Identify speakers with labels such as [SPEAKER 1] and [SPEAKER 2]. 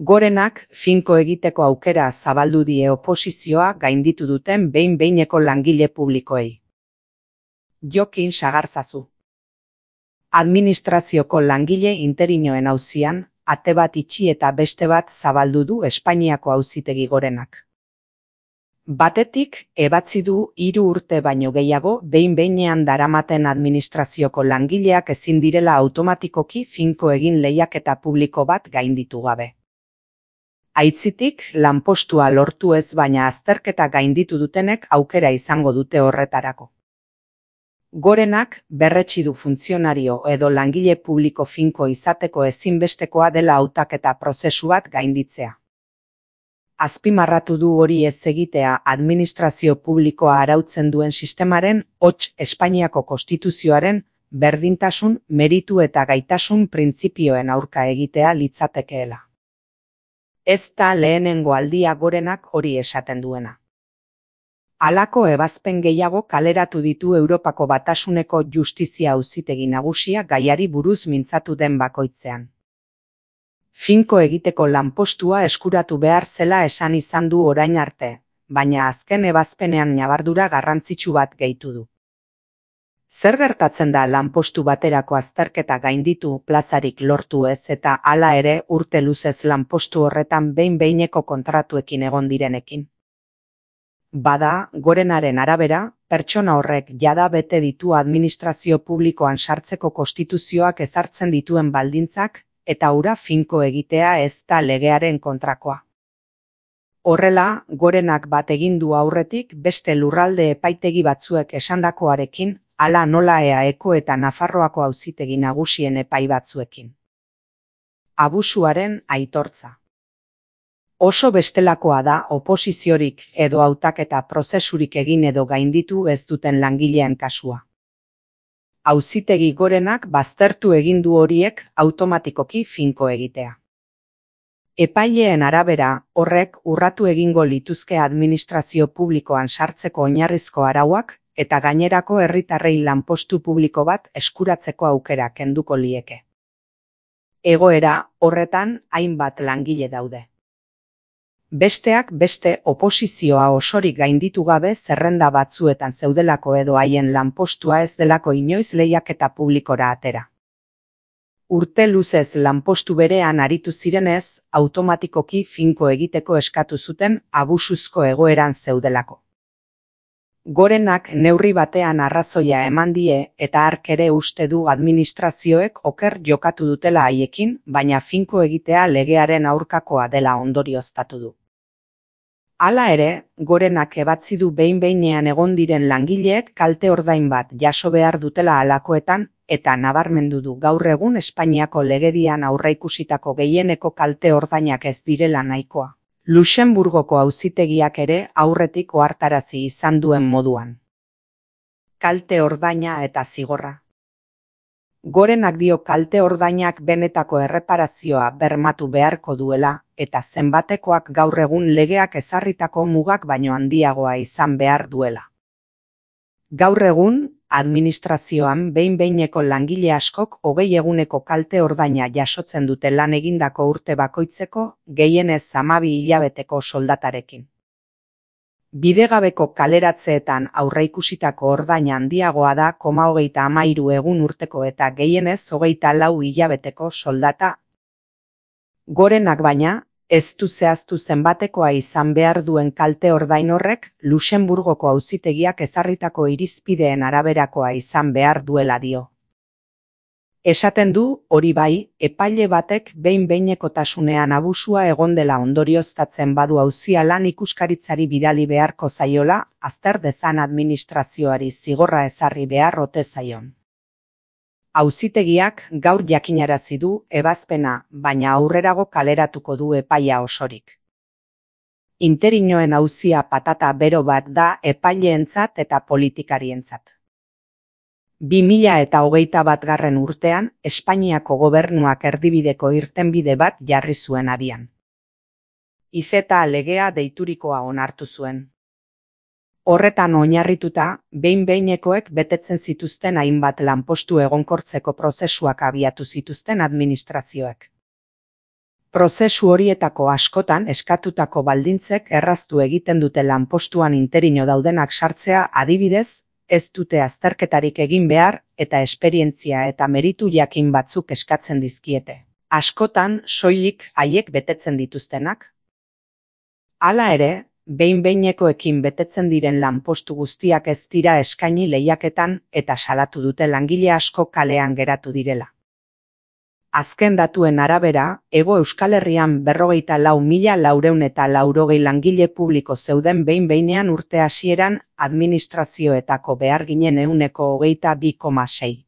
[SPEAKER 1] Gorenak finko egiteko aukera zabaldu die oposizioa gainditu duten behin-behineko langile publikoei. Jokin Sagarzazu. Administrazioko langile interinoen auzian, ate bat itxi eta beste bat zabaldu du Espainiako Auzitegi Gorenak. Batetik, ebatzi du 3 urte baino gehiago behin-behinean daramaten administrazioko langileak ezin direla automatikoki finko egin lehiaketa publiko bat gainditu gabe. Aitzitik, lanpostua lortu ez baina azterketa gainditu dutenek aukera izango dute horretarako. Gorenak berretsi du funtzionario edo langile publiko finko izateko ezinbestekoa dela hautaketa prozesu bat gainditzea. Azpimarratu du hori ez egitea administrazio publikoa arautzen duen sistemaren, hots Espainiako Konstituzioaren, berdintasun, meritu eta gaitasun printzipioen aurka egitea litzatekeela. Ez da lehenengo aldia Gorenak hori esaten duena. Halako ebazpen gehiago kaleratu ditu Europako Batasuneko Justizia Auzitegi Nagusia gaiari buruz mintzatu den bakoitzean. Finko egiteko lanpostua eskuratu behar zela esan izan du orain arte, baina azken ebazpenean ñabardura garrantzitsu bat gehitu du. Zer gertatzen da lanpostu baterako azterketa gainditu plazarik lortu ez eta hala ere urte luzez lanpostu horretan behin-behineko kontratuekin egon direnekin? Bada, Gorenaren arabera, pertsona horrek jada bete ditu administrazio publikoan sartzeko konstituzioak ezartzen dituen baldintzak, eta hura finko egitea ez da legearen kontrakoa. Horrela, Gorenak bat egin du aurretik beste lurralde epaitegi batzuek esandakoarekin, hala nola EAEko eta Nafarroako Auzitegi Nagusien epai batzuekin. Abusuaren aitortza. Oso bestelakoa da oposiziorik edo hautaketa prozesurik egin edo gainditu ez duten langileen kasua. Auzitegi Gorenak baztertu egin du horiek automatikoki finko egitea. Epaileen arabera, horrek urratu egingo lituzke administrazio publikoan sartzeko oinarrizko arauak eta gainerako herritarrei lanpostu publiko bat eskuratzeko aukera kenduko lieke. Egoera horretan hainbat langile daude. Besteak beste oposizioa osorik gainditu gabe zerrenda batzuetan zeudelako edo haien lanpostua ez delako inoiz lehiaketa publikora atera. Urte luzez lanpostu berean aritu zirenez, automatikoki finko egiteko eskatu zuten abusuzko egoeran zeudelako. Gorenak neurri batean arrazoia eman die eta hark ere uste du administrazioek oker jokatu dutela haiekin, baina finko egitea legearen aurkakoa dela ondorioztatu du. Hala ere, Gorenak ebatzi du behin-behinean egon diren langileek kalte ordain bat jaso behar dutela halakoetan eta nabarmendu du gaur egun Espainiako legedian aurreikusitako gehieneko kalte ordainak ez direla nahikoa. Luxenburgoko auzitegiak ere aurretik ohartarazi izan duen moduan. Kalte ordaina eta zigorra. Gorenak dio kalte ordainak benetako erreparazioa bermatu beharko duela eta zenbatekoak gaur egun legeak ezarritako mugak baino handiagoa izan behar duela. Gaur egun, administrazioan behin-behineko langile askok 20 eguneko kalte ordaina jasotzen dute lan egindako urte bakoitzeko gehienez 12 hilabeteko soldatarekin. Bidegabeko kaleratzeetan aurreikusitako ordaina handiagoa da 33 egun urteko eta gehienez 24 hilabeteko soldata. Gorenak baina, ez du zehaztu zenbatekoa izan behar duen kalte ordain horrek Luxenburgoko auzitegiak ezarritako irizpideen araberakoa izan behar duela dio. Esaten du, hori bai, epaile batek behin-behinekotasunean abusua egon dela ondorioztatzen badu auzia lan ikuskaritzari bidali beharko zaiola, azter dezan administrazioari zigorra ezarri behar ote zaion. Auzitegiak gaur jakinarazi du ebazpena, baina aurrerago kaleratuko du epaia osorik. Interinoen auzia patata bero bat da epaileentzat eta politikarientzat. 2021 urtean, Espainiako gobernuak erdibideko irtenbide bat jarri zuen abian. IZETA legea deiturikoa onartu zuen. Horretan oinarrituta, behin-behinekoek betetzen zituzten hainbat lanpostu egonkortzeko prozesuak abiatu zituzten administrazioek. Prozesu horietako askotan eskatutako baldintzek erraztu egiten dute lanpostuan interino daudenak sartzea, adibidez, ez dute azterketarik egin behar eta esperientzia eta meritu jakin batzuk eskatzen dizkiete. Askotan soilik haiek betetzen dituztenak. Hala ere, behin-behinekoekin betetzen diren lanpostu guztiak ez dira eskaini lehiaketan eta salatu dute langile asko kalean geratu direla. Azken datuen arabera, Hego Euskal Herrian 44.480 langile publiko zeuden behin-behinean urte hasieran administrazioetako beharginen 22,6.